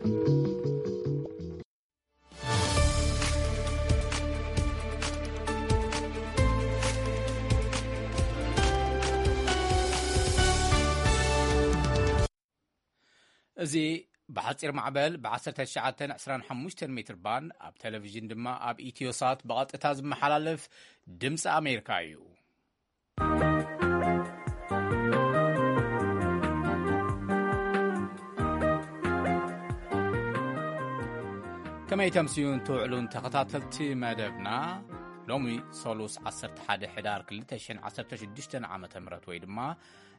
እዚ ብሓጺር ማዕበል ብ19 25 ሜትር ባንድ፣ ኣብ ቴሌቪዥን ድማ ኣብ ኢትዮሳት ብቐጥታ ዝመሓላለፍ ድምፂ ኣሜሪካ እዩ። ከመይ ተምስዩን ትውዕሉን ተኸታተልቲ መደብና? ሎሚ ሰሉስ 11 ሕዳር 2016 ዓመተ ምህረት ወይ ድማ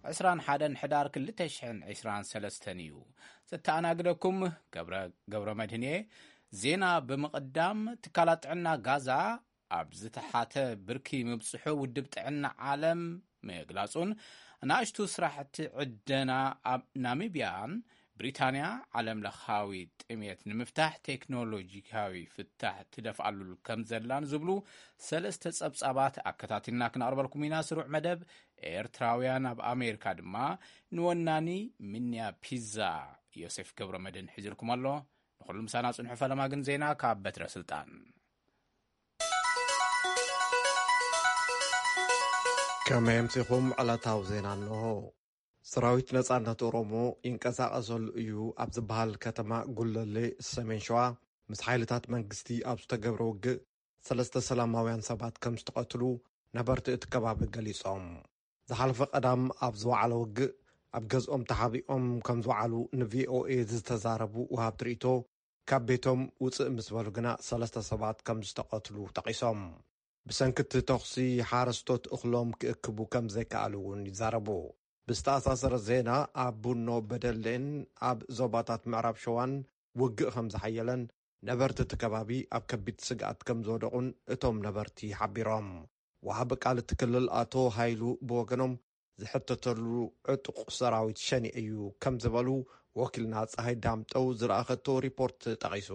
21 ሕዳር 2023 እዩ። ዘተኣናግደኩም ገብረ፣ ገብረ መድህን እየ። ዜና ብምቕዳም፣ ትካላት ጥዕና ጋዛ ኣብ ዝተሓተ ብርኪ ምብጽሑ ውድብ ጥዕና ዓለም ምግላጹን፣ ንኣሽቱ ስራሕቲ ዕደና ኣብ ናሚብያን ብሪታንያ ዓለም ለኻዊ ጥሜት ንምፍታሕ ቴክኖሎጂካዊ ፍታሕ ትደፍኣሉ ከም ዘላን ዝብሉ ሰለስተ ጸብጻባት ኣከታቲልና ክነቕርበልኩም ኢና። ስሩዕ መደብ ኤርትራውያን ኣብ ኣሜሪካ ድማ ንወናኒ ሚንያ ፒዛ ዮሴፍ ገብረ መድህን ሒዝልኩም ኣሎ። ንኹሉ ምሳና ጽንሑ። ፈለማ ግን ዜና ካብ በትረ ስልጣን። ከመይ ኣምሲኹም? ዕለታዊ ዜና እንሆ። ሰራዊት ነጻነት ኦሮሞ ይንቀሳቐሰሉ እዩ ኣብ ዝበሃል ከተማ ጉለሌ ሰሜን ሸዋ ምስ ሓይልታት መንግስቲ ኣብ ዝተገብረ ውግእ ሰለስተ ሰላማውያን ሰባት ከም ዝተቐትሉ ነበርቲ እቲ ከባቢ ገሊጾም። ዝሓለፈ ቀዳም ኣብ ዝወዓለ ውግእ ኣብ ገዝኦም ተሓቢኦም ከም ዝወዓሉ ንቪኦኤ ዝተዛረቡ ወሃብቲ ርእይቶ፣ ካብ ቤቶም ውፅእ ምስ በሉ ግና ሰለስተ ሰባት ከም ዝተቐትሉ ጠቒሶም። ብሰንኪ እቲ ተኹሲ ሓረስቶት እኽሎም ክእክቡ ከም ዘይከኣሉ እውን ይዛረቡ። ብዝተኣሳሰረ ዜና፣ ኣብ ቡኖ በደሌን ኣብ ዞባታት ምዕራብ ሸዋን ውግእ ከም ዝሓየለን ነበርቲ እቲ ከባቢ ኣብ ከቢድ ስግኣት ከም ዝወደቑን እቶም ነበርቲ ሓቢሮም። ወሃቢ ቃል እቲ ክልል ኣቶ ሃይሉ ብወገኖም፣ ዝሕተተሉ ዕጡቕ ሰራዊት ሸኔ እዩ ከም ዝበሉ ወኪልና ፀሃይ ዳምጠው ዝለኣኸቶ ሪፖርት ጠቒሱ።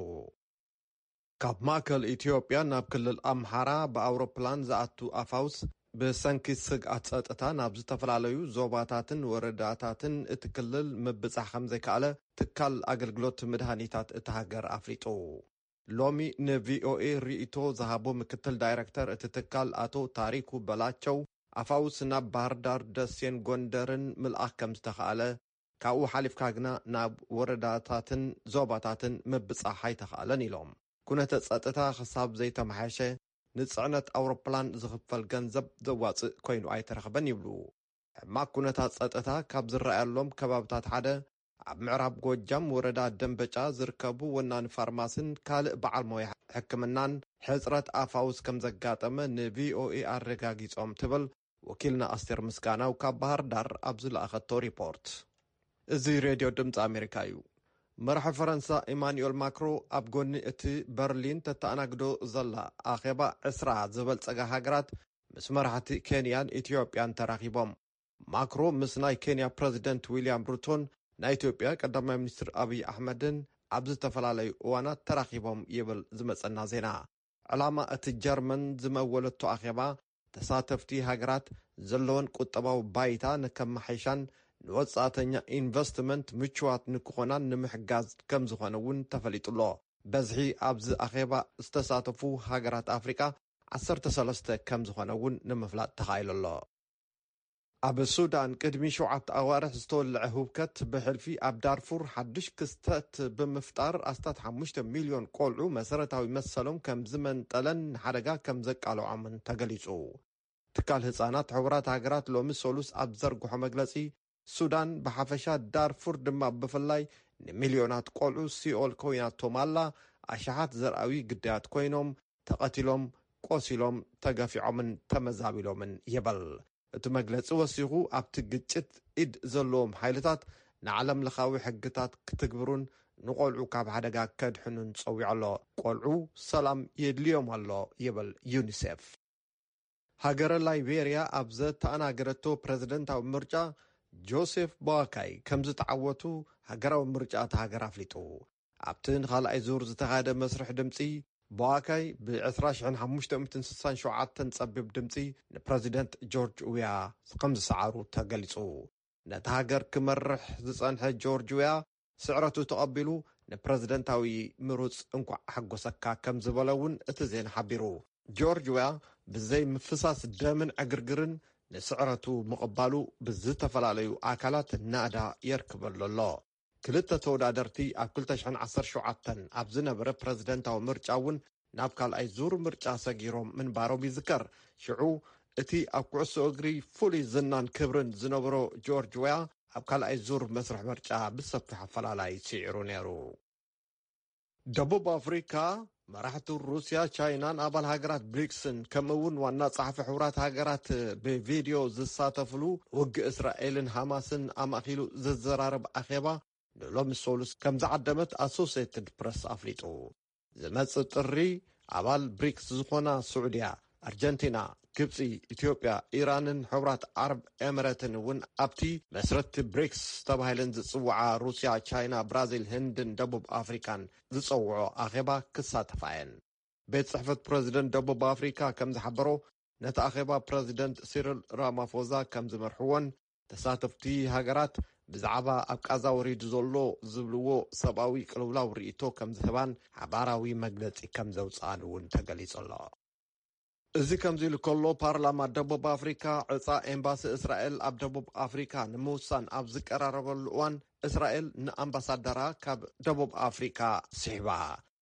ካብ ማእከል ኢትዮጵያ ናብ ክልል ኣምሓራ ብኣውሮፕላን ዝኣቱ ኣፋውስ ብሰንኪ ስግኣት ጸጥታ ናብ ዝተፈላለዩ ዞባታትን ወረዳታትን እቲ ክልል ምብጻሕ ከም ዘይከኣለ ትካል ኣገልግሎት መድሃኒታት እታ ሃገር ኣፍሊጡ። ሎሚ ንቪኦኤ ርእይቶ ዝሃቡ ምክትል ዳይረክተር እቲ ትካል ኣቶ ታሪኩ በላቸው፣ ኣፋውስ ናብ ባህር ዳር፣ ደሴን ጎንደርን ምልኣኽ ከም ዝተኻእለ፣ ካብኡ ሓሊፍካ ግና ናብ ወረዳታትን ዞባታትን ምብጻሕ ኣይተኻእለን ኢሎም። ኩነተ ጸጥታ ክሳብ ዘይተመሓየሸ ንጽዕነት ኣውሮፕላን ዝኽፈል ገንዘብ ዘዋጽእ ኮይኑ ኣይተረኽበን ይብሉ። ሕማቅ ኩነታት ጸጥታ ካብ ዝረኣየሎም ከባብታት ሓደ ኣብ ምዕራብ ጎጃም ወረዳ ደንበጫ ዝርከቡ ወናኒ ፋርማስን ካልእ በዓል ሞያ ሕክምናን ሕጽረት ኣፋውስ ከም ዘጋጠመ ንቪኦኤ ኣረጋጊጾም ትብል ወኪልና ኣስቴር ምስጋናው ካብ ባህር ዳር ኣብ ዝለኣኸቶ ሪፖርት። እዚ ሬድዮ ድምፂ ኣሜሪካ እዩ። መራሒ ፈረንሳ ኢማኑኤል ማክሮ ኣብ ጎኒ እቲ በርሊን ተተኣናግዶ ዘላ ኣኼባ ዕስራ ዝበልጸጋ ሃገራት ምስ መራሕቲ ኬንያን ኢትዮጵያን ተራኺቦም። ማክሮ ምስ ናይ ኬንያ ፕረዚደንት ዊልያም ሩቶን ናይ ኢትዮጵያ ቀዳማይ ሚኒስትር ኣብይ ኣሕመድን ኣብ ዝተፈላለዩ እዋናት ተራኺቦም ይብል ዝመጸና ዜና። ዕላማ እቲ ጀርመን ዝመወለቶ ኣኼባ፣ ተሳተፍቲ ሃገራት ዘለወን ቁጠባዊ ባይታ ንከመሓይሻን ንወጻእተኛ ኢንቨስትመንት ምቹዋት ንክኾናን ንምሕጋዝ ከም ዝኾነ እውን ተፈሊጡ ኣሎ። በዝሒ ኣብዚ ኣኼባ ዝተሳተፉ ሃገራት ኣፍሪቃ ዓሰርተ ሰለስተ ከም ዝኾነ እውን ንምፍላጥ ተኻኢሉ ኣሎ። ኣብ ሱዳን ቅድሚ ሸውዓተ ኣዋርሕ ዝተወልዐ ህውከት ብሕልፊ ኣብ ዳርፉር ሓድሽ ክስተት ብምፍጣር ኣስታት ሓሙሽተ ሚልዮን ቆልዑ መሰረታዊ መሰሎም ከም ዝመንጠለን ንሓደጋ ከም ዘቃልዖምን ተገሊጹ። ትካል ህጻናት ሕቡራት ሃገራት ሎሚ ሰሉስ ኣብ ዘርግሖ መግለጺ፣ ሱዳን ብሓፈሻ ዳርፉር ድማ ብፍላይ ንሚልዮናት ቆልዑ ሲኦል ኮይናቶም ኣላ፣ ኣሽሓት ዘርኣዊ ግዳያት ኮይኖም፣ ተቐቲሎም፣ ቆሲሎም፣ ተገፊዖምን ተመዛቢሎምን ይብል። እቲ መግለጺ ወሲኹ፣ ኣብቲ ግጭት ኢድ ዘለዎም ሓይልታት ንዓለም ለኻዊ ሕግታት ክትግብሩን ንቆልዑ ካብ ሓደጋ ከድሕኑን ጸዊዑ ኣሎ። ቆልዑ ሰላም የድልዮም ኣሎ ይብል ዩኒሴፍ። ሃገረ ላይቤርያ ኣብ ዘተኣናገደቶ ፕረዚደንታዊ ምርጫ ጆሴፍ ቦዋካይ ከም ዝተዓወቱ ሃገራዊ ምርጫ እታ ሃገር ኣፍሊጡ። ኣብቲ ንኻልኣይ ዙር ዝተኻየደ መስርሕ ድምጺ፣ ቦዋካይ ብ20,567 ጸቢብ ድምጺ ንፕረዚደንት ጆርጅ ዊያ ከም ዝሰዓሩ ተገሊጹ። ነታ ሃገር ክመርሕ ዝጸንሐ ጆርጅ ዊያ ስዕረቱ ተቐቢሉ ንፕረዚደንታዊ ምሩጽ እንኳዕ ሓጎሰካ ከም ዝበለ እውን እቲ ዜና ሓቢሩ። ጆርጅ ዌያ ብዘይ ምፍሳስ ደምን ዕግርግርን ንስዕረቱ ምቕባሉ ብዝተፈላለዩ ኣካላት ናእዳ የርክበሉ ኣሎ። ክልተ ተወዳደርቲ ኣብ ክልተ ሽሕን ዓሰርተ ሸውዓተን ኣብ ዝነበረ ፕረዚደንታዊ ምርጫ እውን ናብ ካልኣይ ዙር ምርጫ ሰጊሮም ምንባሮም ይዝከር። ሽዑ እቲ ኣብ ኩዕሶ እግሪ ፍሉይ ዝናን ክብርን ዝነበሮ ጆርጅ ዌያ ኣብ ካልኣይ ዙር መስርሕ ምርጫ ብሰፊሕ ኣፈላላይ ስዒሩ ነይሩ። ደቡብ ኣፍሪካ መራሕቲ ሩስያ፣ ቻይናን ኣባል ሃገራት ብሪክስን ከምኡ እውን ዋና ጸሓፊ ሕቡራት ሃገራት ብቪድዮ ዝሳተፍሉ ውግእ እስራኤልን ሃማስን ኣማእኪሉ ዘዘራርብ ኣኼባ ንሎሚ ሰሉስ ከም ዝዓደመት ኣሶሴትድ ፕረስ ኣፍሊጡ። ዝመጽእ ጥሪ ኣባል ብሪክስ ዝኾና ስዑድያ፣ ኣርጀንቲና፣ ግብጺ፣ ኢትዮጵያ፣ ኢራንን ሕቡራት ዓረብ ኤምሬትን እውን ኣብቲ መስረትቲ ብሪክስ ተባሂለን ዝጽውዓ ሩስያ፣ ቻይና፣ ብራዚል፣ ህንድን ደቡብ ኣፍሪካን ዝጸውዖ ኣኼባ ክሳተፋ እየን። ቤት ጽሕፈት ፕረዚደንት ደቡብ ኣፍሪካ ከም ዝሓበሮ፣ ነቲ ኣኼባ ፕረዚደንት ሲሪል ራማፎዛ ከም ዝመርሕዎን ተሳተፍቲ ሃገራት ብዛዕባ ኣብ ቃዛ ወሪዱ ዘሎ ዝብልዎ ሰብኣዊ ቅልውላው ርእይቶ ከም ዝህባን ሓባራዊ መግለጺ ከም ዘውፅኣን እውን ተገሊጹ ኣሎ። እዚ ከምዚ ኢሉ ከሎ፣ ፓርላማ ደቡብ ኣፍሪካ ዕፃ ኤምባሲ እስራኤል ኣብ ደቡብ ኣፍሪካ ንምውሳን ኣብ ዝቀራረበሉ እዋን፣ እስራኤል ንኣምባሳደራ ካብ ደቡብ ኣፍሪካ ስሒባ።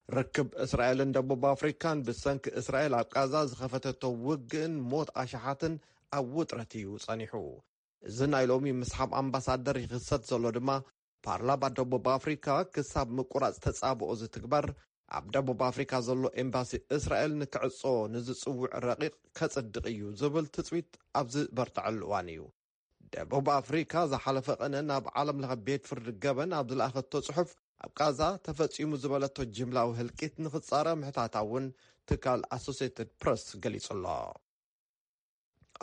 ርክብ እስራኤልን ደቡብ ኣፍሪካን ብሰንኪ እስራኤል ኣብ ቃዛ ዝኸፈተቶ ውግእን ሞት ኣሽሓትን ኣብ ውጥረት እዩ ጸኒሑ። እዚ ናይ ሎሚ ምስሓብ ኣምባሳደር ይኽሰት ዘሎ ድማ፣ ፓርላማ ደቡብ ኣፍሪካ ክሳብ ምቁራጽ ተጻብኦ ዝትግበር፣ ኣብ ደቡብ ኣፍሪካ ዘሎ ኤምባሲ እስራኤል ንክዕጾ ንዝጽውዕ ረቂቕ ከጽድቕ እዩ ዝብል ትጽቢት ኣብ ዝበርትዐሉ እዋን እዩ። ደቡብ ኣፍሪካ ዝሓለፈ ቅነ ናብ ዓለም ለኸ ቤት ፍርዲ ገበን ኣብ ዝለኣኸቶ ጽሑፍ፣ ኣብ ቃዛ ተፈጺሙ ዝበለቶ ጅምላዊ ህልቂት ንኽጻረ ምሕታታ እውን ትካል ኣሶሴትድ ፕረስ ገሊጹ ኣሎ።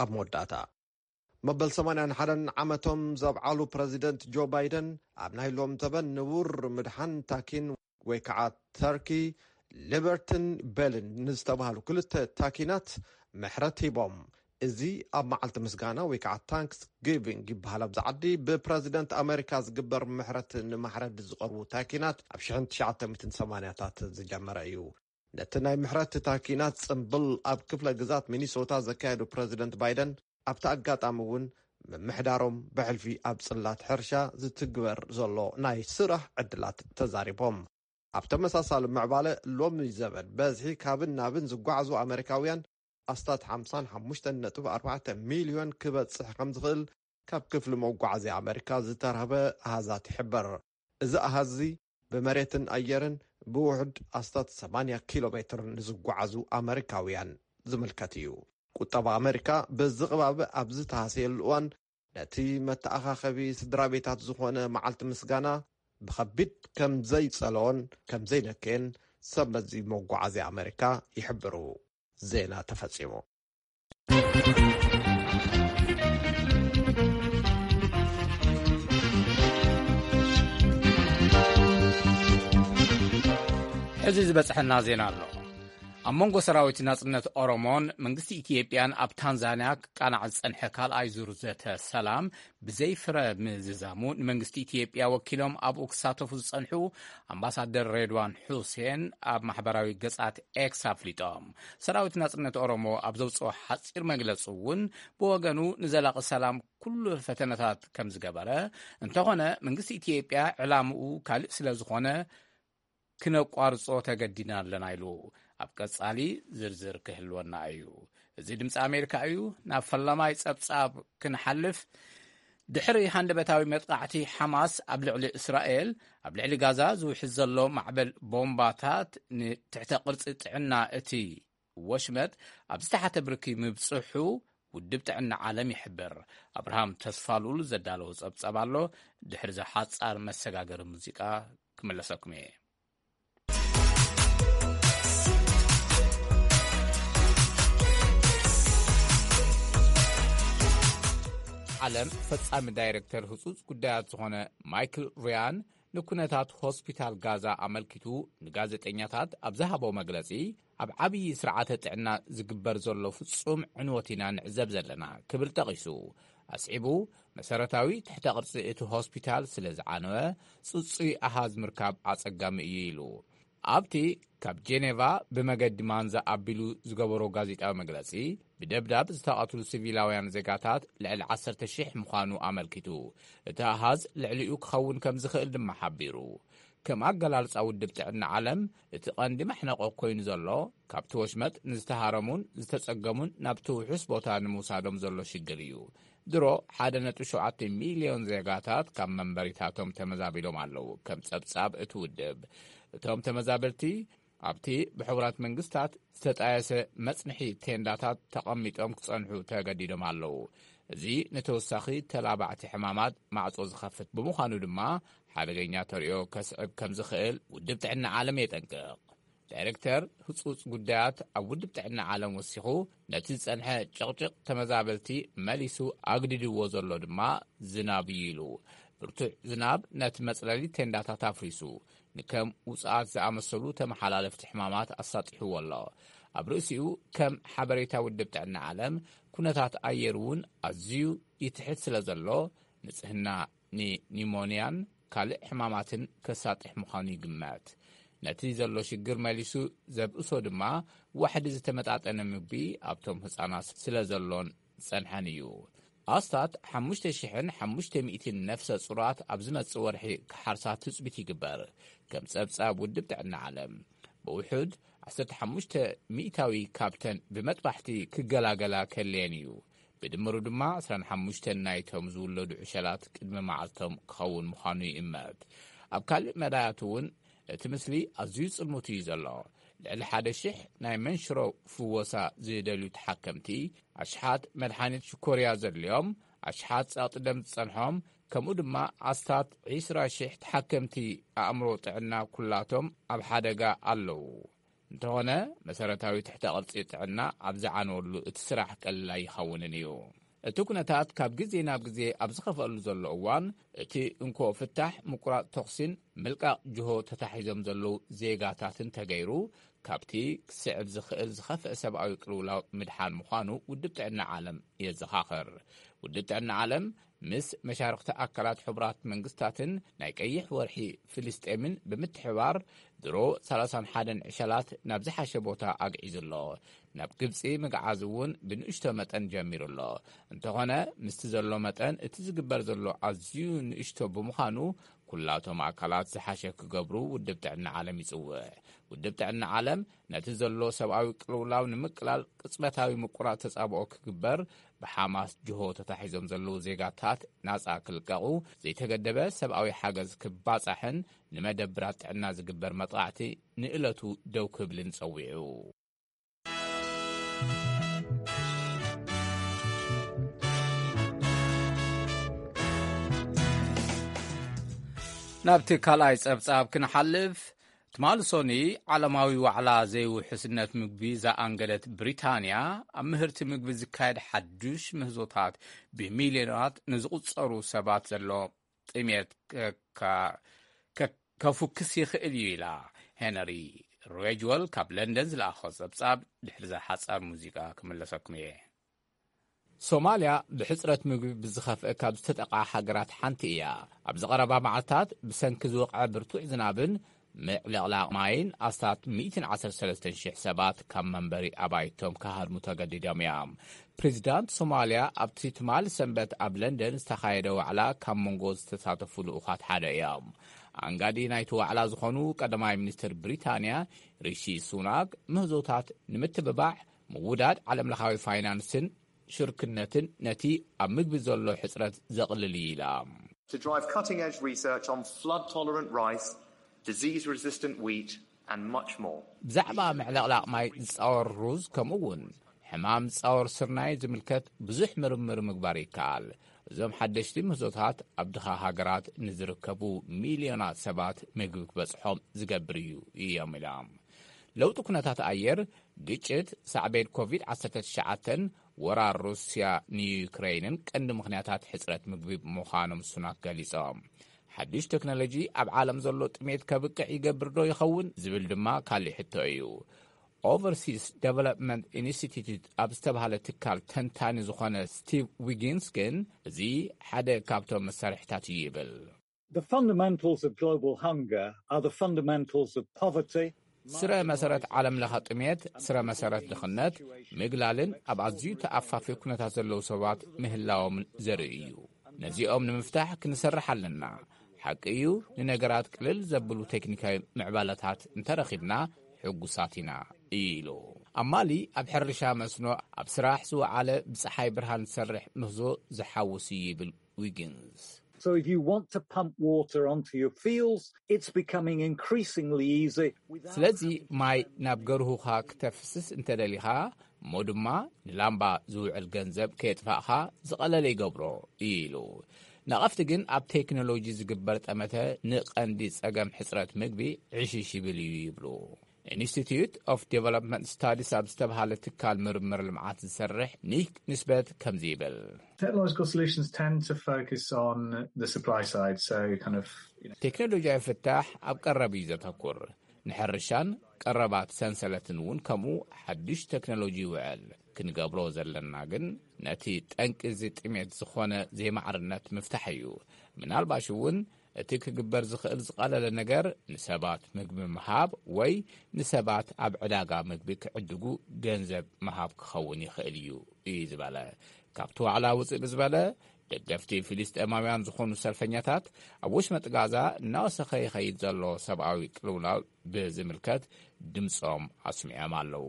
ኣብ መወዳእታ፣ መበል ሰማንያን ሓደን ዓመቶም ዘብዓሉ ፕረዚደንት ጆ ባይደን፣ ኣብ ናይ ሎም ዘበን ንቡር ምድሓን ታኪን ወይ ከዓ ተርኪ፣ ሊበርትን ቤልን ንዝተባህሉ ክልተ ታኪናት ምሕረት ሂቦም። እዚ ኣብ መዓልቲ ምስጋና ወይ ከዓ ታንክስ ጊቪንግ ይበሃል ኣብዚ ዓዲ ብፕረዚደንት ኣሜሪካ ዝግበር ምሕረት ንማሕረድ ዝቐርቡ ታኪናት ኣብ ሽሕን ትሽዓተ ሚእትን ሰማንያታት ዝጀመረ እዩ። ነቲ ናይ ምሕረት ታኪናት ጽምብል ኣብ ክፍለ ግዛት ሚኒሶታ ዘካየዱ ፕረዚደንት ባይደን፣ ኣብቲ ኣጋጣሚ እውን ምምሕዳሮም ብሕልፊ ኣብ ጽላት ሕርሻ ዝትግበር ዘሎ ናይ ስራሕ ዕድላት ተዛሪቦም። ኣብ ተመሳሳሊ ምዕባለ፣ ሎሚ ዘበን በዝሒ ካብን ናብን ዝጓዓዙ ኣመሪካውያን ኣስታት ሓምሳን ሓሙሽተን ነጥቢ ኣርባዕተ ሚልዮን ክበጽሕ ከም ዝኽእል ካብ ክፍሊ መጓዓዝያ ኣመሪካ ዝተረኽበ ኣሃዛት ይሕብር። እዚ ኣሃዝ እዚ ብመሬትን ኣየርን ብውሑድ ኣስታት ሰማንያ ኪሎ ሜትር ንዝጓዓዙ ኣመሪካውያን ዝምልከት እዩ። ቁጠባ ኣመሪካ ብዝቕባበ ኣብ ዝተሃሰየሉ እዋን፣ ነቲ መተኣኻኸቢ ስድራ ቤታት ዝኾነ መዓልቲ ምስጋና ብኸቢድ ከም ዘይጸለዎን ከም ዘይነከየን ሰብ መዚ መጓዓዝያ ኣመሪካ ይሕብሩ። ዜና ተፈጺሙ። ሕዚ ዝበጽሐና ዜና ኣሎ። ኣብ መንጎ ሰራዊት ናጽነት ኦሮሞን መንግስቲ ኢትዮጵያን ኣብ ታንዛንያ ክቃናዕ ዝጸንሐ ካልኣይ ዙር ዘተ ሰላም ብዘይ ፍረ ምዝዛሙ፣ ንመንግስቲ ኢትዮጵያ ወኪሎም ኣብኡ ክሳተፉ ዝጸንሑ ኣምባሳደር ሬድዋን ሑሴን ኣብ ማሕበራዊ ገጻት ኤክስ ኣፍሊጦም። ሰራዊት ናጽነት ኦሮሞ ኣብ ዘውጽኦ ሓጺር መግለጺ እውን፣ ብወገኑ ንዘላቒ ሰላም ኩሉ ፈተነታት ከም ዝገበረ፣ እንተኾነ መንግስቲ ኢትዮጵያ ዕላምኡ ካልእ ስለ ዝኾነ፣ ክነቋርጾ ተገዲና ኣለና ኢሉ። ኣብ ቀጻሊ ዝርዝር ክህልወና እዩ። እዚ ድምጺ ኣሜሪካ እዩ። ናብ ፈላማይ ጸብጻብ ክንሓልፍ፣ ድሕሪ ሃንደበታዊ መጥቃዕቲ ሓማስ ኣብ ልዕሊ እስራኤል፣ ኣብ ልዕሊ ጋዛ ዝውሕዝ ዘሎ ማዕበል ቦምባታት ንትሕተ ቅርጺ ጥዕና እቲ ወሽመጥ ኣብ ዝተሓተ ብርኪ ምብጽሑ ውድብ ጥዕና ዓለም ይሕብር። ኣብርሃም ተስፋሉል ዘዳለዎ ጸብጻብ ኣሎ። ድሕሪ እዚ ሓጻር መሰጋገሪ ሙዚቃ ክምለሰኩም እየ። ዓለም ፈጻሚ ዳይሬክተር ህጹጽ ጉዳያት ዝኾነ ማይክል ሪያን ንኩነታት ሆስፒታል ጋዛ ኣመልኪቱ ንጋዜጠኛታት ኣብ ዝሃቦ መግለጺ፣ ኣብ ዓብዪ ስርዓተ ጥዕና ዝግበር ዘሎ ፍጹም ዕንወት ኢና ንዕዘብ ዘለና ክብል ጠቒሱ። ኣስዒቡ፣ መሰረታዊ ትሕተ ቅርጺ እቲ ሆስፒታል ስለ ዝዓነወ፣ ጽጹይ ኣሃዝ ምርካብ ኣጸጋሚ እዩ ኢሉ። ኣብቲ ካብ ጄኔቫ ብመገዲ ማንዛ ኣቢሉ ዝገበሮ ጋዜጣዊ መግለጺ፣ ብደብዳብ ዝተቐትሉ ሲቪላውያን ዜጋታት ልዕሊ ዓሰርተ ሺሕ ምዃኑ ኣመልኪቱ፣ እቲ ኣሃዝ ልዕሊኡ ክኸውን ከም ዝኽእል ድማ ሓቢሩ። ከም ኣገላልጻ ውድብ ጥዕና ዓለም፣ እቲ ቀንዲ መሕነቆ ኮይኑ ዘሎ፣ ካብቲ ወሽመጥ ንዝተሃረሙን ዝተጸገሙን ናብቲ ውሑስ ቦታ ንምውሳዶም ዘሎ ሽግር እዩ። ድሮ ሓደ ነጥቢ ሸውዓተ ሚልዮን ዜጋታት ካብ መንበሪታቶም ተመዛቢሎም ኣለዉ። ከም ጸብጻብ እቲ ውድብ፣ እቶም ተመዛበልቲ ኣብቲ ብሕቡራት መንግስታት ዝተጣየሰ መጽንሒ ቴንዳታት ተቐሚጦም ክጸንሑ ተገዲዶም ኣለዉ። እዚ ንተወሳኺ ተላባዕቲ ሕማማት ማዕጾ ዝኸፍት ብምዃኑ ድማ፣ ሓደገኛ ተርእዮ ከስዕብ ከም ዝኽእል ውድብ ጥዕና ዓለም የጠንቅቕ። ዳይሬክተር ህጹጽ ጉዳያት ኣብ ውድብ ጥዕና ዓለም ወሲኹ፣ ነቲ ዝጸንሐ ጭቕጭቕ ተመዛበልቲ መሊሱ ኣግዲድዎ ዘሎ ድማ ዝናብ እዩ ኢሉ። ብርቱዕ ዝናብ ነቲ መጽለሊ ቴንዳታት ኣፍሪሱ፣ ንከም ውጽኣት ዝኣመሰሉ ተመሓላለፍቲ ሕማማት ኣሳጢሕዎ ኣሎ። ኣብ ርእሲኡ፣ ከም ሓበሬታ ውድብ ጥዕና ዓለም፣ ኩነታት ኣየር እውን ኣዝዩ ይትሕት ስለ ዘሎ፣ ንጽህና ንኒሞንያን ካልእ ሕማማትን ከሳጥሕ ምዃኑ ይግመት። ነቲ ዘሎ ሽግር መሊሱ ዘብእሶ ድማ፣ ዋሕዲ ዝተመጣጠነ ምግቢ ኣብቶም ህጻናት ስለ ዘሎን ዝጸንሐን እዩ። ኣስታት ሓሙሽተ ሽሕን ሓሙሽተ ሚእትን ነፍሰ ጹራት ኣብ ዝመጽእ ወርሒ ክሓርሳ ትጽቢት ይግበር። ከም ጸብጻብ ውድብ ጥዕና ዓለም፣ ብውሑድ ዓሰርተ ሓሙሽተ ሚእታዊ ካብተን ብመጥባሕቲ ክገላገላ ከለየን እዩ። ብድምሩ ድማ፣ ዕስራን ሓሙሽተን ናይቶም ዝውለዱ ዕሸላት ቅድሚ መዓልቶም ክኸውን ምዃኑ ይእመት። ኣብ ካልእ መዳያት እውን፣ እቲ ምስሊ ኣዝዩ ጽልሙት እዩ ዘሎ። ልዕሊ ሓደ ሽሕ ናይ መንሽሮ ፍወሳ ዝደልዩ ተሓከምቲ፣ ኣሽሓት መድሓኒት ሽኮርያ ዘድልዮም፣ ኣሽሓት ጸቕጢ ደም ዝጸንሖም፣ ከምኡ ድማ ኣስታት ዕስራ ሽሕ ተሓከምቲ ኣእምሮ ጥዕና ኩላቶም ኣብ ሓደጋ ኣለዉ። እንተኾነ፣ መሰረታዊ ትሕተ ቅርጺ ጥዕና ኣብ ዝዓነወሉ፣ እቲ ስራሕ ቀሊል ኣይኸውንን እዩ። እቲ ኩነታት ካብ ግዜ ናብ ግዜ ኣብ ዝኸፍአሉ ዘሎ እዋን፣ እቲ እንኮ ፍታሕ ምቁራጽ ተኹሲን ምልቃቕ ጅሆ ተታሒዞም ዘለዉ ዜጋታትን ተገይሩ፣ ካብቲ ክስዕብ ዝኽእል ዝኸፍአ ሰብኣዊ ቅልውላው ምድሓን ምዃኑ ውድብ ጥዕና ዓለም የዘኻኽር። ውድብ ጥዕና ዓለም ምስ መሻርኽቲ ኣካላት ሕቡራት መንግስታትን ናይ ቀይሕ ወርሒ ፍልስጤምን ብምትሕባር፣ ድሮ ሰላሳን ሓደን ዕሸላት ናብ ዝሓሸ ቦታ ኣግዒዙ ኣሎ። ናብ ግብጺ ምግዓዝ እውን ብንእሽቶ መጠን ጀሚሩ ኣሎ። እንተኾነ፣ ምስቲ ዘሎ መጠን፣ እቲ ዝግበር ዘሎ ኣዝዩ ንእሽቶ ብምዃኑ፣ ኩላቶም ኣካላት ዝሓሸ ክገብሩ ውድብ ጥዕና ዓለም ይጽውዕ። ውድብ ጥዕና ዓለም፣ ነቲ ዘሎ ሰብኣዊ ቅልውላው ንምቅላል ቅጽበታዊ ምቁራጽ ተጻብኦ ክግበር፣ ብሓማስ ጅሆ ተታሒዞም ዘለዉ ዜጋታት ናጻ ክልቀቑ፣ ዘይተገደበ ሰብኣዊ ሓገዝ ክባጻሕን ንመደብራት ጥዕና ዝግበር መጥቓዕቲ ንእለቱ ደው ክብልን ጸዊዑ። ናብቲ ካልኣይ ጸብጻብ ክንሓልፍ፣ ትማሊ ሶኒ ዓለማዊ ዋዕላ ዘይውሕስነት ምግቢ ዝኣንገደት ብሪታንያ፣ ኣብ ምህርቲ ምግቢ ዝካየድ ሓዱሽ ምህዞታት ብሚልዮናት ንዝቑጸሩ ሰባት ዘሎ ጥሜት ከ-፣ ከ-፣ ከፉክስ ይኽእል እዩ ኢላ። ሄነሪ ሬጅወል ካብ ለንደን ዝለኣኾ ጸብጻብ ድሕሪ እዛ ሓጻር ሙዚቃ ክምለሰኩም እየ። ሶማልያ ብሕጽረት ምግቢ ብዝኸፍአ ካብ ዝተጠቕዓ ሃገራት ሓንቲ እያ። ኣብዚ ቀረባ መዓልታት ብሰንኪ ዝወቕዐ ብርቱዕ ዝናብን ምዕልቕላቕ ማይን ኣስታት ሚእትን ዓሰርተ ሰለስተን ሽሕ ሰባት ካብ መንበሪ ኣባይቶም ክሃድሙ ተገዲዶም እዮም። ፕሬዚዳንት ሶማልያ ኣብቲ ትማሊ ሰንበት ኣብ ለንደን ዝተኻየደ ዋዕላ ካብ መንጎ ዝተሳተፉ ልኡኻት ሓደ እዮም። ኣንጋዲ ናይቲ ዋዕላ ዝኾኑ ቀዳማይ ሚኒስትር ብሪታንያ ሪሺ ሱናክ፣ ምህዞታት ንምትብባዕ ምውዳድ ዓለምለኻዊ ፋይናንስን ሽርክነትን ነቲ ኣብ ምግቢ ዘሎ ሕጽረት ዘቕልል እዩ ኢላ። To drive cutting-edge research on flood-tolerant rice, disease-resistant wheat, and much more. ብዛዕባ ምዕልቕላቕ ማይ ዝጻወር ሩዝ፣ ከምኡ እውን ሕማም ዝጻወር ስርናይ ዝምልከት ብዙሕ ምርምር ምግባር ይከኣል። እዞም ሓደሽቲ ምህዞታት ኣብ ድኻ ሃገራት ንዝርከቡ ሚልዮናት ሰባት ምግቢ ክበጽሖም ዝገብር እዩ እዮም ኢሎም። ለውጢ ኩነታት ኣየር፣ ግጭት፣ ሳዕቤን ኮቪድ ዓሰርተ ትሽዓተን ወራር ሩስያ ንዩክሬንን ቀንዲ ምኽንያታት ሕጽረት ምግቢ ምዃኖም ሱናክ ገሊጾም። ሓድሽ ቴክኖሎጂ ኣብ ዓለም ዘሎ ጥሜት ከብቅዕ ይገብር ዶ ይኸውን ዝብል ድማ ካልእ ሕቶ እዩ። Overseas Development Institute ኣብ ዝተባህለ ትካል ተንታኒ ዝኾነ ስቲቭ ዊጊንስ ግን፣ እዚ ሓደ ካብቶም መሳርሕታት እዩ ይብል። The fundamentals of global hunger are the fundamentals of poverty. ስረ መሰረት ዓለም ለኸ ጥሜት፣ ስረ መሰረት ድኽነት፣ ምግላልን ኣብ ኣዝዩ ተኣፋፊ ኩነታት ዘለዉ ሰባት ምህላዎም ዘርኢ እዩ። ነዚኦም ንምፍታሕ ክንሰርሕ ኣለና። ሓቂ እዩ፣ ንነገራት ቅልል ዘብሉ ቴክኒካዊ ምዕባለታት እንተረኺብና ሕጉሳት ኢና ኢሉ። ኣብ ማሊ ኣብ ሕርሻ መስኖ ኣብ ስራሕ ዝወዓለ ብፀሓይ ብርሃን ዝሰርሕ ምህዞ ዝሓውስ እዩ ይብል ዊጊንስ። So if you want to pump water onto your fields, it's becoming increasingly easy. ስለዚ ማይ ናብ ገርሁኻ ክተፍስስ እንተደሊኻ፣ እሞ ድማ ንላምባ ዝውዕል ገንዘብ ከየጥፋእኻ ዝቐለለ ይገብሮ ኢሉ። ነቐፍቲ ግን ኣብ ቴክኖሎጂ ዝግበር ጠመተ ንቐንዲ ጸገም ሕጽረት ምግቢ ዕሽሽ ይብል እዩ ይብሉ። Institute of Development Studies ኣብ ዝተባሃለ ትካል ምርምር ልምዓት ዝሰርሕ ኒክ ንስበት ከምዚ ይብል። Technological solutions tend to focus on the supply side, so kind of you know, ቴክኖሎጂያዊ ፍታሕ ኣብ ቀረብ እዩ ዘተኩር። ንሕርሻን ቀረባት ሰንሰለትን እውን ከምኡ ሓድሽ ቴክኖሎጂ ይውዕል። ክንገብሮ ዘለና ግን ነቲ ጠንቂ እዚ ጥሜት ዝኾነ ዘይማዕርነት ምፍታሕ እዩ። ምናልባሽ እውን እቲ ክግበር ዝኽእል ዝቐለለ ነገር ንሰባት ምግቢ ምሃብ ወይ ንሰባት ኣብ ዕዳጋ ምግቢ ክዕድጉ ገንዘብ ምሃብ ክኸውን ይኽእል እዩ እዩ ዝበለ። ካብቲ ዋዕላ ውፅእ ብዝበለ ደገፍቲ ፊልስጤማውያን ዝኾኑ ሰልፈኛታት ኣብ ወሽመጥ ጋዛ እናወሰኸ ይኸይድ ዘሎ ሰብኣዊ ቅልውላው ብዝምልከት ድምፆም ኣስሚዖም ኣለዉ።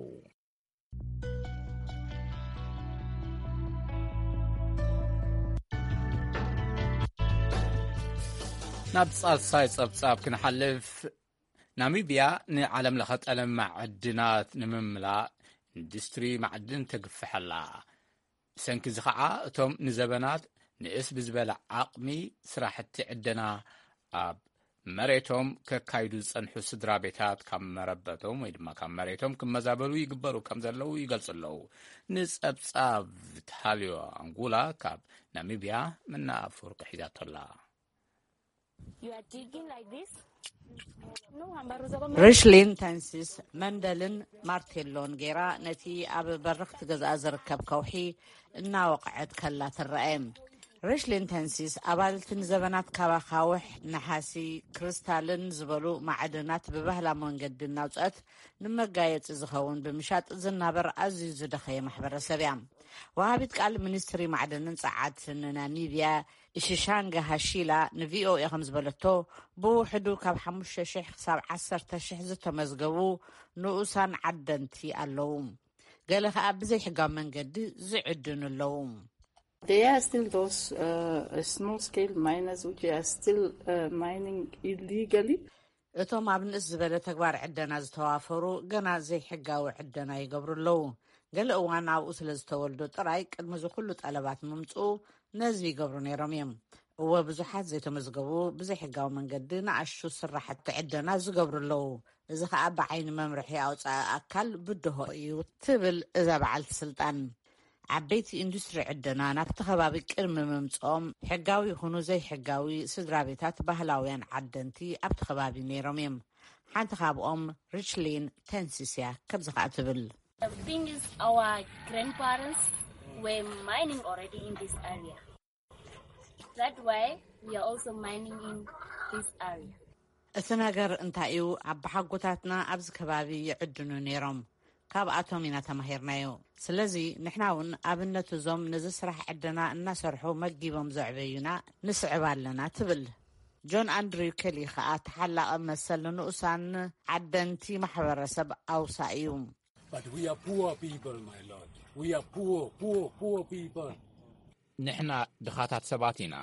ናብ ሳልሳይ ጸብጻብ ክንሓልፍ፣ ናሚብያ ንዓለም ለኸ ጠለብ ማዕድናት ንምምላእ ኢንዱስትሪ ማዕድን ተግፍሐላ። ብሰንኪ እዚ ኸዓ እቶም ንዘበናት ንእስ ብዝበለ ዓቕሚ ስራሕቲ ዕደና ኣብ መሬቶም ከካይዱ ዝጸንሑ ስድራ ቤታት ካብ መረበቶም ወይ ድማ ካብ መሬቶም ክመዛበሉ ይግበሩ ከም ዘለዉ ይገልጹ ኣለዉ። ንጸብጻብ ታልዮ ኣንጉላ ካብ ናሚብያ መናፍር ክሒዛቶ ኣላ። ሪሽሊን ተንሲስ መንደልን ማርቴሎን ጌራ ነቲ ኣብ በርኽቲ ገዛኣ ዝርከብ ከውሒ እናወቕዐት ከላ ትረአ። ሪሽሊን ተንሲስ ኣባልቲ ንዘበናት ካብ ኣኻውሕ፣ ነሓሲ፣ ክሪስታልን ዝበሉ ማዕድናት ብባህላዊ መንገዲ እናውፅአት ንመጋየፂ ዝኸውን ብምሻጥ ዝናበር ኣዝዩ ዝደኸየ ማሕበረሰብ እያ። ወሃቢት ቃል ሚኒስትሪ ማዕድንን ጸዓትን ናሚብያ ኢሽሻንጋ ሃሺላ ንቪኦኤ ከም ዝበለቶ፣ ብውሕዱ ካብ ሓሙሽተ ሽሕ ክሳብ ዓሰርተ ሽሕ ዝተመዝገቡ ንኡሳን ዓደንቲ ኣለዉ። ገለ ከኣ ብዘይሕጋዊ መንገዲ ዝዕድኑ ኣለዉ። There are still those uh, small scale miners which are still uh, mining illegally. እቶም ኣብ ንእስ ዝበለ ተግባር ዕደና ዝተዋፈሩ ገና ዘይሕጋዊ ዕደና ይገብሩ ኣለዉ። ገለ እዋን ኣብኡ ስለ ዝተወልዱ ጥራይ ቅድሚ እዚ ኩሉ ጠለባት ምምፅኡ ነዚ ይገብሩ ነይሮም እዮም። እወ፣ ብዙሓት ዘይተመዝገቡ ብዘይሕጋዊ መንገዲ ንኣሽቱ ስራሕቲ ዕደና ዝገብሩ ኣለዉ። እዚ ኸኣ ብዓይኒ መምርሒ ኣውፃኢ ኣካል ብድሆ እዩ ትብል እዛ በዓልቲ ስልጣን። ዓበይቲ ኢንዱስትሪ ዕደና ናብቲ ከባቢ ቅድሚ ምምፅኦም ሕጋዊ ይኹኑ ዘይሕጋዊ ስድራ ቤታት ባህላውያን ዓደንቲ ኣብቲ ከባቢ ነይሮም እዮም። ሓንቲ ካብኦም ሪችሊን ተንሲስ እያ። ከምዚ ኸኣ ትብል። The thing is, our grandparents were mining already in this area. That's why we are also mining in this area. እቲ ነገር እንታይ እዩ? ኣባሓጎታትና ኣብዚ ከባቢ ይዕድኑ ነይሮም። ካብኣቶም ኢና ተማሂርናዮ። ስለዚ ንሕና እውን ኣብነት እዞም ነዚ ስራሕ ዕደና እናሰርሑ መጊቦም ዘዕበዩና ንስዕብ ኣለና ትብል። ጆን ኣንድሪው ኬሊ ከኣ ተሓላቒ መሰል ንንኡሳን ዓደንቲ ማሕበረሰብ ኣውሳ እዩ። But we are poor people, my lord. We are poor, poor, poor people. ንሕና ድኻታት ሰባት ኢና።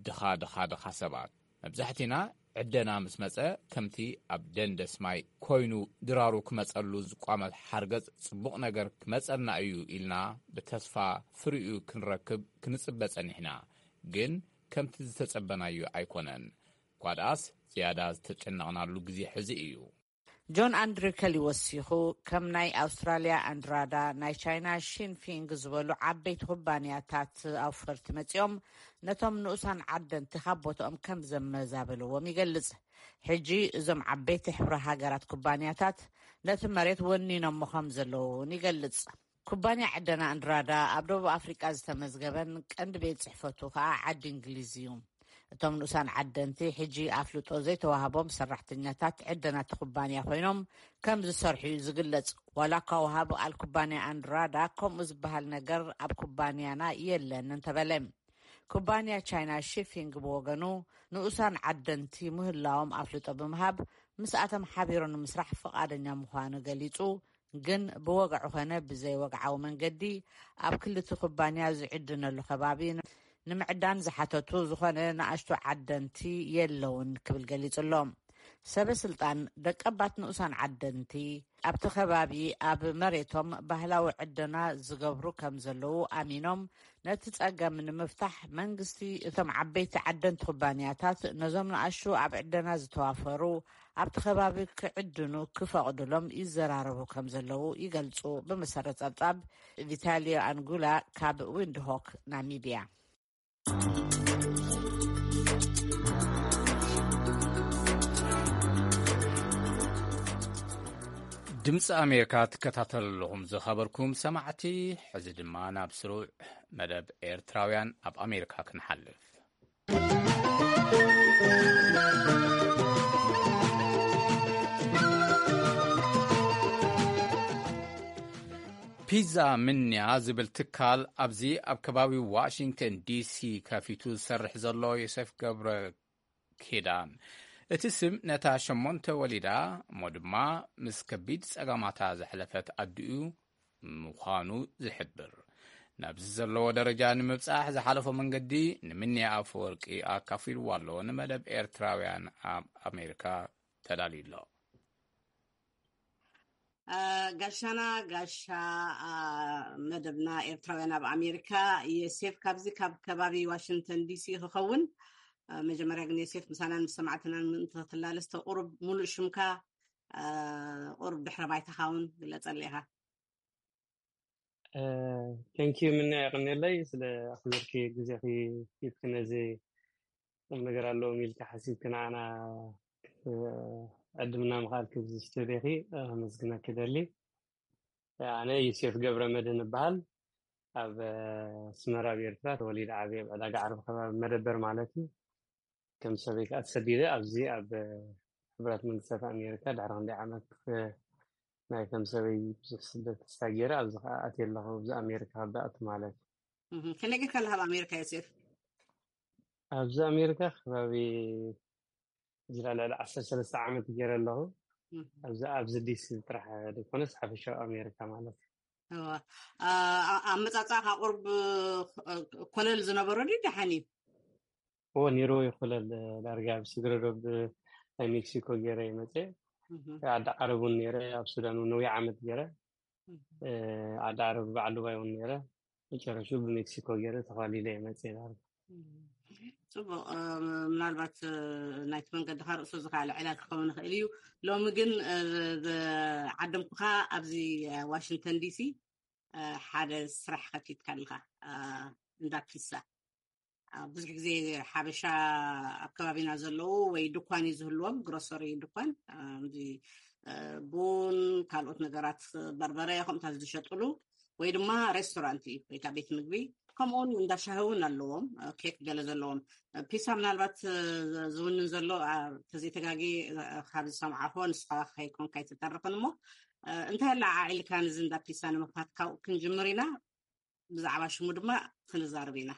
ድኻ ድኻ ድኻ ሰባት። መብዛሕቲና ዕደና ምስ መጸ ከምቲ ኣብ ደንደስ ማይ ኮይኑ ድራሩ ክመጸሉ ዝቋመት ሓርገጽ ጽቡቕ ነገር ክመጸልና እዩ ኢልና ብተስፋ ፍሪኡ ክንረክብ ክንጽበ ጸኒሕና። ግን ከምቲ ዝተጸበናዮ ኣይኮነን። ኳድኣስ ዝያዳ ዝተጨነቕናሉ ግዜ ሕዚ እዩ። ጆን ኣንድሪከል ይወሲኹ፣ ከም ናይ ኣውስትራልያ ኣንድራዳ፣ ናይ ቻይና ሺንፊንግ ዝበሉ ዓበይቲ ኩባንያታት ኣውፈርቲ መጺኦም ነቶም ንኡሳን ዓደንቲ ካብ ቦትኦም ከም ዘመዛበልዎም ይገልጽ። ሕጂ እዞም ዓበይቲ ሕብረ ሃገራት ኩባንያታት ነቲ መሬት ወኒኖሞ ከም ዘለዉ እውን ይገልጽ። ኩባንያ ዕደና ኣንድራዳ ኣብ ደቡብ ኣፍሪቃ ዝተመዝገበን ቀንዲ ቤት ጽሕፈቱ ከኣ ዓዲ እንግሊዝ እዩ። እቶም ንኡሳን ዓደንቲ ሕጂ ኣፍልጦ ዘይተዋህቦም ሰራሕተኛታት ዕደናቲ ኩባንያ ኮይኖም ከም ዝሰርሑ እዩ ዝግለጽ። ዋላ እኳ ወሃቢ ቃል ኩባንያ ኣንድራዳ ከምኡ ዝበሃል ነገር ኣብ ኩባንያና የለን እንተበለ፣ ኩባንያ ቻይና ሺፊንግ ብወገኑ ንኡሳን ዓደንቲ ምህላዎም ኣፍልጦ ብምሃብ ምስኣቶም ሓቢሩ ንምስራሕ ፍቓደኛ ምዃኑ ገሊጹ። ግን ብወግዒ ኾነ ብዘይወግዓዊ መንገዲ ኣብ ክልቲ ኩባንያ ዝዕድነሉ ከባቢ ንምዕዳን ዝሓተቱ ዝኾነ ንኣሽቱ ዓደንቲ የለውን ክብል ገሊጹ ኣሎ። ሰበ ስልጣን ደቀባት ንኡሳን ዓደንቲ ኣብቲ ከባቢ ኣብ መሬቶም ባህላዊ ዕደና ዝገብሩ ከም ዘለዉ ኣሚኖም፣ ነቲ ጸገም ንምፍታሕ መንግስቲ እቶም ዓበይቲ ዓደንቲ ኩባንያታት ነዞም ንኣሽቱ ኣብ ዕደና ዝተዋፈሩ ኣብቲ ከባቢ ክዕድኑ ክፈቕዱሎም ይዘራረቡ ከም ዘለዉ ይገልጹ። ብመሰረት ጸብጻብ ቪታሊዮ ኣንጉላ ካብ ዊንድሆክ ናሚቢያ። ድምፂ ኣሜሪካ ትከታተሉ ኣለኹም ዝኸበርኩም ሰማዕቲ። ሕዚ ድማ ናብ ስሩዕ መደብ ኤርትራውያን ኣብ ኣሜሪካ ክንሓልፍ። ፒዛ ምንያ ዝብል ትካል ኣብዚ ኣብ ከባቢ ዋሽንግተን ዲሲ ከፊቱ ዝሰርሕ ዘሎ ዮሴፍ ገብረ ኪዳን፣ እቲ ስም ነታ ሸሞንተ ወሊዳ እሞ ድማ ምስ ከቢድ ጸገማታ ዘሕለፈት ኣዲኡ ምዃኑ ዝሕብር፣ ናብዚ ዘለዎ ደረጃ ንምብጻሕ ዝሓለፎ መንገዲ ንምንያ ኣፈወርቂ ኣካፊልዋ ኣሎ። ንመደብ ኤርትራውያን ኣብ ኣሜሪካ ተዳልዩ ኣሎ። ጋሻና ጋሻ መደብና ኤርትራውያን ኣብ ኣሜሪካ፣ የሴፍ ካብዚ ካብ ከባቢ ዋሽንግተን ዲሲ ክኸውን። መጀመርያ ግን የሴፍ ምሳናን ምስ ሰማዕትናን ምእንቲ ክትላለስ ተቁሩብ ሙሉእ ሽምካ ቁሩብ ድሕረ ባይታኻ እውን ግለጸለይ ኢኻ። Thank you ምና የቀንየለይ ስለ ኣክብርኪ ግዜኺ ሂብኪ ነዚ ቁም ነገር ኣለዎም ኢልካ ሓሲብኪ ንዓና ዕድምና ምኽኣልኪ ብዝስተደኺ ከመስግነኪ ደሊ። ኣነ ዮሴፍ ገብረ መድህን እበሃል። ኣብ ኣስመራ ኣብ ኤርትራ ተወሊደ ዓብየ ኣብ ዕዳጋ ዓርቢ ከባቢ መደበር ማለት እዩ። ከም ሰበይ ከዓ ተሰዲደ ኣብዚ ኣብ ሕቡራት መንግስታት ኣሜሪካ ድሕሪ ክንደይ ዓመት ናይ ከም ሰበይ ብዙሕ ስደት ክሳብ ገይረ ኣብዚ ከዓ ኣትየ ኣለኹ ኣብዚ ኣሜሪካ ካብ ዝኣቱ ማለት እዩ። ከመይ ጌርካ ኣለኻ ኣብ ኣሜሪካ ዮሴፍ? ኣብዚ ኣሜሪካ ከባቢ ዝላ ልዕሊ ዓሰርተ ሰለስተ ዓመት ገይረ ኣለኹ። ኣብዚ ኣብዚ ዲሲ ጥራሕ ዘይኮነስ ሓፈሻዊ ኣሜሪካ ማለት እዩ። ኣመፃፃእካ ቁርብ ኮለል ዝነበሮ ድዩ ደሓን እዩ? እዎ ነይርዎ ይኮለል ዳርጋ ኣብ ስግረዶብ ናይ ሜክሲኮ ገይረ ይመፀ ዓዲ ዓረብ እውን ነይረ ኣብ ሱዳን እውን ነዊሕ ዓመት ገይረ ዓዲ ዓረብ በዓል ዱባይ እውን ነይረ መጨረሽኡ ብሜክሲኮ ገይረ ተኳሊለ ይመፀ ዳርጋ። ፅቡቅ። ምናልባት ናይቲ መንገድካ ርእሱ ዝካኣለ ዕላል ክኸውን ይኽእል እዩ። ሎሚ ግን ዓደምኩካ ኣብዚ ዋሽንግተን ዲሲ ሓደ ስራሕ ከፊትካ ኣለካ እንዳ ፒሳ። ብዙሕ ግዜ ሓበሻ ኣብ ከባቢና ዘለዉ ወይ ድኳን እዩ ዝህልዎም ግሮሰሪ ድኳን ቡን ካልኦት ነገራት በርበረ ከምታት ዝሸጥሉ ወይ ድማ ሬስቶራንት እዩ ወይታ ቤት ምግቢ ከምኡውን እንዳሻሂ እውን ኣለዎም ኬክ ገለ ዘለዎም። ፒሳ ምናልባት ዝውንን ዘሎ ተዘይተጋጊ ካብ ዝሰምዓኹ ንስኻ ከይኮንካ ኣይትተርፍን እሞ እንታይ ኣላ ዓዒልካ ንዚ እንዳ ፒሳ ንምክፋት ካብኡ ክንጅምር ኢና። ብዛዕባ ሽሙ ድማ ክንዛርብ ኢና።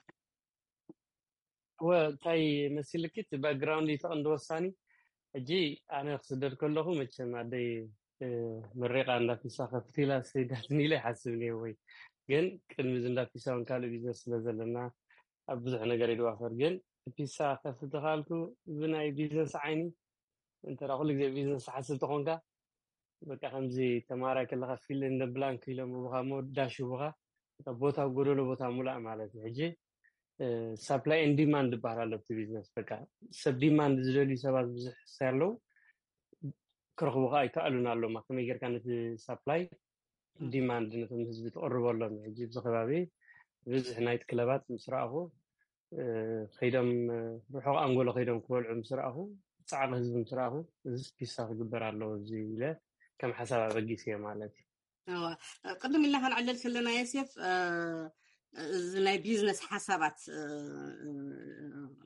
እወ እንታይ መሲልኪ እቲ ባክግራውንድ እዩ ተቐንዲ ወሳኒ። ሕጂ ኣነ ክስደድ ከለኹ መቸም ኣደይ መሬቃ እንዳፒሳ ከፍት ኢላ ሰይዳትኒ ኢለ ይሓስብ ነየ ወይ ግን ቅድሚ እዚ እንዳፒሳ እውን ካልእ ቢዝነስ ስለ ዘለና ኣብ ብዙሕ ነገር ይድዋፈር ግን ፒሳ ከፍት ተኻልኩ ብናይ ቢዝነስ ዓይኒ እንተ ኩሉ ግዜ ቢዝነስ ሓስብ ተኾንካ በቃ ከምዚ ተማሃራይ ከለካ ፊል እንደ ብላንክ ኢሎም ቡካ ሞ ዳሽ ቡካ ቦታ ጎደሎ ቦታ ሙላእ ማለት እዩ። ሕጂ ሳፕላይ ን ዲማንድ ዝበሃል ኣሎ ኣብቲ ቢዝነስ በቃ ሰብ ዲማንድ ዝደልዩ ሰባት ብዙሕ ኣለዉ። ክረኽቡ ከዓ ኣይከኣሉን ኣለማ። ከመይ ጌርካ ነቲ ሳፕላይ ዲማንድ ነቶም ህዝቢ ትቕርበሎም? ሕጂ ኣብዚ ከባቢ ብዝሕ ናይት ክለባት ምስ ረኣኹ፣ ከይዶም፣ ርሑቕ ኣንጎሎ ከይዶም ክበልዑ ምስ ረኣኹ፣ ፃዕቂ ህዝቢ ምስ ረኣኹ፣ እዚ ፒሳ ክግበር ኣለዎ እዚ ኢለ ከም ሓሳብ ኣበጊስ እየ ማለት እዩ። ቅድም ኢልና ክንዕለል ከለና የሴፍ፣ እዚ ናይ ቢዝነስ ሓሳባት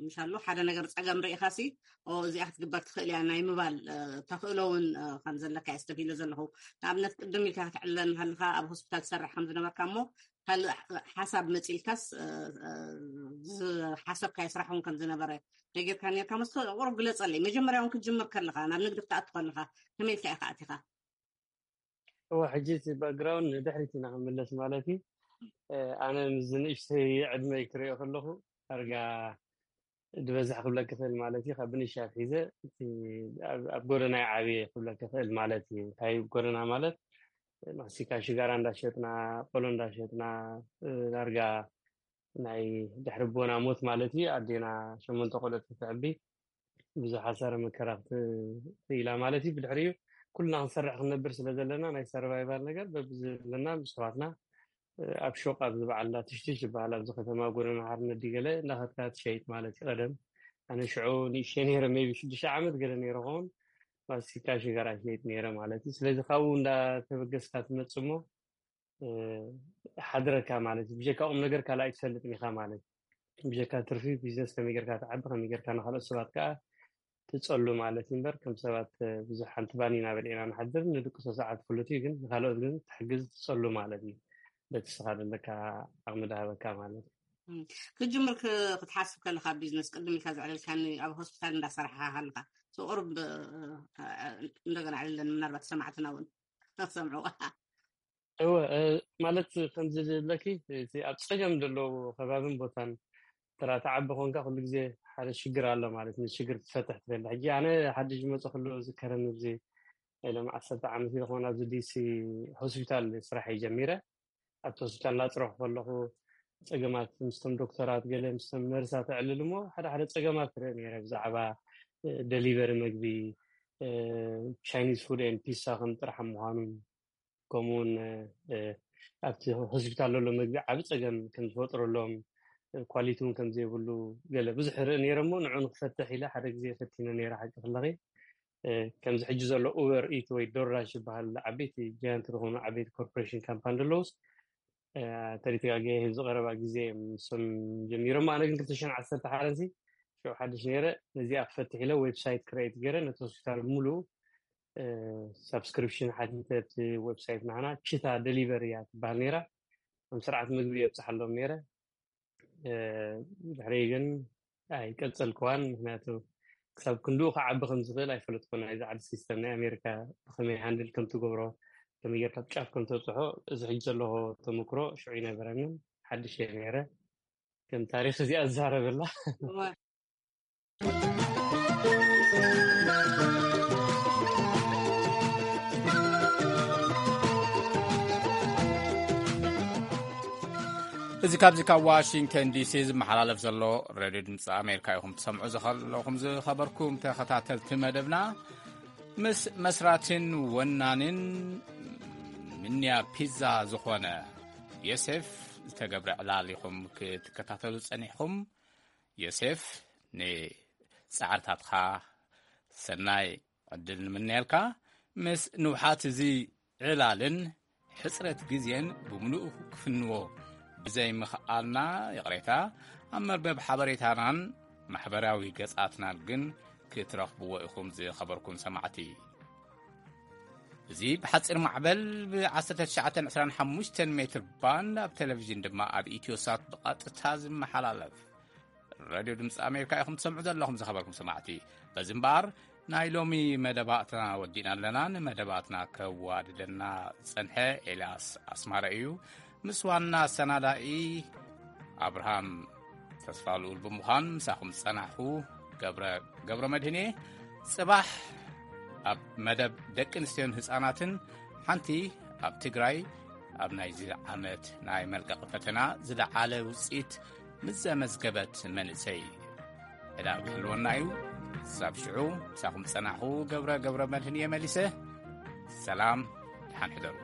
ምሻሉ ሓደ ነገር ፀገም ርኢኻሲ እዚኣ ክትግበር ትኽእል እያ ናይ ምባል ተኽእሎ እውን ከም ዘለካ እየ ስተፊሎ ዘለኹ። ንኣብነት ቅድም ኢልካ ክትዕለል ከለካ ኣብ ሆስፒታል ትሰርሕ ከም ዝነበርካ እሞ ካልእ ሓሳብ መፂልካስ ዝሓሰብካዮ ስራሕ እውን ከም ዝነበረ ነጊርካ ነርካ መስሎ። ቁሩብ ግለፀለይ፣ መጀመርያ እውን ክትጅምር ከለካ ናብ ንግዲ ክትኣቱ ከለካ ከመይ ኢልካ ኢካ ኣቲካ? እወ፣ ሕጂ እቲ ባክግራውንድ ንድሕሪት ኢና ክንምለስ ማለት እዩ። ኣነ ምስ ንእሽተይ ዕድመይ ክሪኦ ከለኹ ዳርጋ ዝበዝሕ ክብለክ ክኽእል ማለት እዩ። ካብ ብንሻ ኣትሒዘ እቲ ኣብ ጎደና ዓብየ ክብለክ ክኽእል ማለት እዩ። እንታይ ጎደና ማለት፣ ማስቲካ ሽጋራ እንዳሸጥና፣ ቆሎ እንዳሸጥና፣ ዳርጋ ናይ ድሕሪ ቦና ሞት ማለት እዩ። ኣዴና ሸሞንተ ቆልዑት ክትዕቢ ብዙሕ ሓሳረ መከራ ክትኢላ ማለት እዩ። ብድሕሪኡ ኩልና ክንሰርሕ ክንነብር ስለ ዘለና ናይ ሰርቫይቫል ነገር በብዘለና ምስ ኣሕዋትና ኣብ ሹቕ ኣብዚ በዓል እንዳትሽትሽ ዝበሃል ኣብዚ ከተማ ጎደና ሓርነት ድዩ ገለ እንዳኸድካ ትሸይጥ ማለት እዩ። ቀደም ኣነ ሽዑ ንእሽተይ ነይረ፣ ሜቢ ሽዱሽተ ዓመት ገለ ነይረ ኸውን፣ ማስቲካ ሽጋራ ይሸይጥ ነይረ ማለት እዩ። ስለዚ ካብኡ እንዳተበገስካ ትመጽእ እሞ ሓድረካ ማለት እዩ። ብጀካ ቁም ነገር ካልእ ኣይትፈልጥን ኢኻ ማለት እዩ። ብጀካ ትርፊ ቢዝነስ ከመይ ጌርካ ትዓቢ፣ ከመይ ጌርካ ንካልኦት ሰባት ከዓ ትጸሉ ማለት እዩ። እምበር ከም ሰባት ብዙሕ ሓንቲ ባኒና በሊዕና ንሓድር፣ ንድቅሶ ሰዓት ፍሉጥ እዩ፣ ግን ንካልኦት ግን ትሕግዝ ትጸሉ ማለት እዩ። በቲ ስኻ ዘለካ ዓቕሚ ዳሃበካ ማለት እዩ። ክትጅምር ክትሓስብ ከለካ ቢዝነስ ቅድም ኢልካ ዘዕለልካኒ ኣብ ሆስፒታል እንዳሰራሕካ ከለካ ቁሩብ እንደገና ዕልለን ምናልባት ሰማዕትና እውን ክሰምዕዋ። እወ፣ ማለት ከምዚ ዝብለኪ እቲ ኣብ ፀገም ዘለዉ ከባብን ቦታን ተራ ተዓቢ ኮንካ ኩሉ ግዜ ሓደ ሽግር ኣሎ ማለት፣ ንሽግር ክትፈትሕ ትደሊ። ሕጂ ኣነ ሓድሽ ዝመፀ ኩሉ ዝከረኒ እዚ ኢሎም ዓሰርተ ዓመት ይኸውን ኣብዚ ዲሲ ሆስፒታል ስራሕ ጀሚረ። ኣብቲ ሆስፒታል እናፅረኹ ከለኹ ፀገማት ምስቶም ዶክተራት ገለ ምስቶም ነርሳት ኣዕልል እሞ ሓደ ሓደ ፀገማት ትርኢ ነይረ ብዛዕባ ደሊቨሪ ምግቢ፣ ቻይኒዝ ፉድ ኤንድ ፒሳ ከም ጥራሕ ምዃኑን ከምኡውን ኣብቲ ሆስፒታል ዘሎ ምግቢ ዓብ ፀገም ከም ዝፈጥረሎም፣ ኳሊቲ እውን ከም ዘይብሉ ገለ ብዙሕ ርኢ ነይረ እሞ ንዑ ንክፈትሕ ኢለ ሓደ ግዜ ፈቲነ ነይረ ሓቂ ክለኺ። ከምዚ ሕጂ ዘሎ ኡበር ኢት ወይ ዶርዳሽ ዝበሃል ዓበይቲ ጃያንት ዝኾኑ ዓበይቲ ኮርፖሬሽን ካምፓኒ ዘለውስ ተሪትጋገ ህዝቢ ቀረባ ግዜ ምስም ጀሚሮም ኣነ ግን ክልተ ሽሕን ዓሰርተ ሓደን ሲ ሽዑ ሓድሽ ነይረ። ነዚኣ ክፈትሕ ኢለ ዌብሳይት ክሬት ገይረ ነቲ ሆስፒታል ሙሉ ሳብስክሪፕሽን ሓቲተ። እቲ ዌብሳይት ናህና ችታ ደሊቨሪ እያ ትበሃል ነይራ። ከም ስርዓት ምግቢ የብፅሓሎም ነይረ። ድሕሪ ግን ኣይቀፀልክዋን፣ ምክንያቱ ክሳብ ክንድኡ ክዓቢ ከም ዝኽእል ኣይፈለጥኩን። ናይዚ ዓዲ ሲስተም ናይ ኣሜሪካ ብከመይ ሃንድል ከም ትገብሮ፣ ከመይ ጌርካ ጫፍ ከም ተብፅሖ፣ እዚ ሕጂ ዘለዎ ተመክሮ ሽዑ ይነበረንን ሓድሽ እየ ነይረ። ከም ታሪክ እዚኣ ዝዛረበላ። እዚ ካብዚ ካብ ዋሽንግተን ዲሲ ዝመሓላለፍ ዘሎ ሬድዮ ድምፂ ኣሜሪካ ኢኹም ትሰምዑ ዘለኹም። ዝኸበርኩም ተኸታተልቲ መደብና፣ ምስ መስራትን ወናንን ምንያ ፒዛ ዝኾነ ዮሴፍ ዝተገብረ ዕላል ኢኹም ክትከታተሉ ጸኒሕኹም። ዮሴፍ፣ ንጻዕርታትካ ሰናይ ዕድል ንምነየልካ። ምስ ንውሓት እዚ ዕላልን ሕጽረት ግዜን ብምሉኡ ክፍንዎ ብዘይምኽኣልና ይቕሬታ። ኣብ መርበብ ሓበሬታናን ማሕበራዊ ገጻትናን ግን ክትረኽብዎ ኢኹም ዝኸበርኩም ሰማዕቲ። እዚ ብሓጺር ማዕበል ብ1925 ሜትር ባንድ ኣብ ቴሌቪዥን ድማ ኣብ ኢትዮሳት ብቐጥታ ዝመሓላለፍ ሬድዮ ድምፂ ኣሜሪካ ኢኹም ትሰምዑ ዘለኹም ዝኸበርኩም ሰማዕቲ። በዚ እምበኣር ናይ ሎሚ መደባትና ወዲእና ኣለና። ንመደባትና ከዋድደና ዝጸንሐ ኤልያስ ኣስማረ እዩ። ምስ ዋና ኣሰናዳኢ ኣብርሃም ተስፋ ልኡል ብምዃን ምሳኹም ዝጸናሕኩ ገብረ፣ ገብረ መድህን እየ። ጽባሕ ኣብ መደብ ደቂ ኣንስትዮን ህጻናትን ሓንቲ ኣብ ትግራይ ኣብ ናይዚ ዓመት ናይ መልቀቂ ፈተና ዝለዓለ ውጽኢት ምስ ዘመዝገበት መንእሰይ ዕላል ክህልወና እዩ። ክሳብ ሽዑ፣ ምሳኹም ዝጸናሕኹ ገብረ ገብረ መድህን እየ መሊሰ። ሰላም፣ ደሓን ሕደሩ።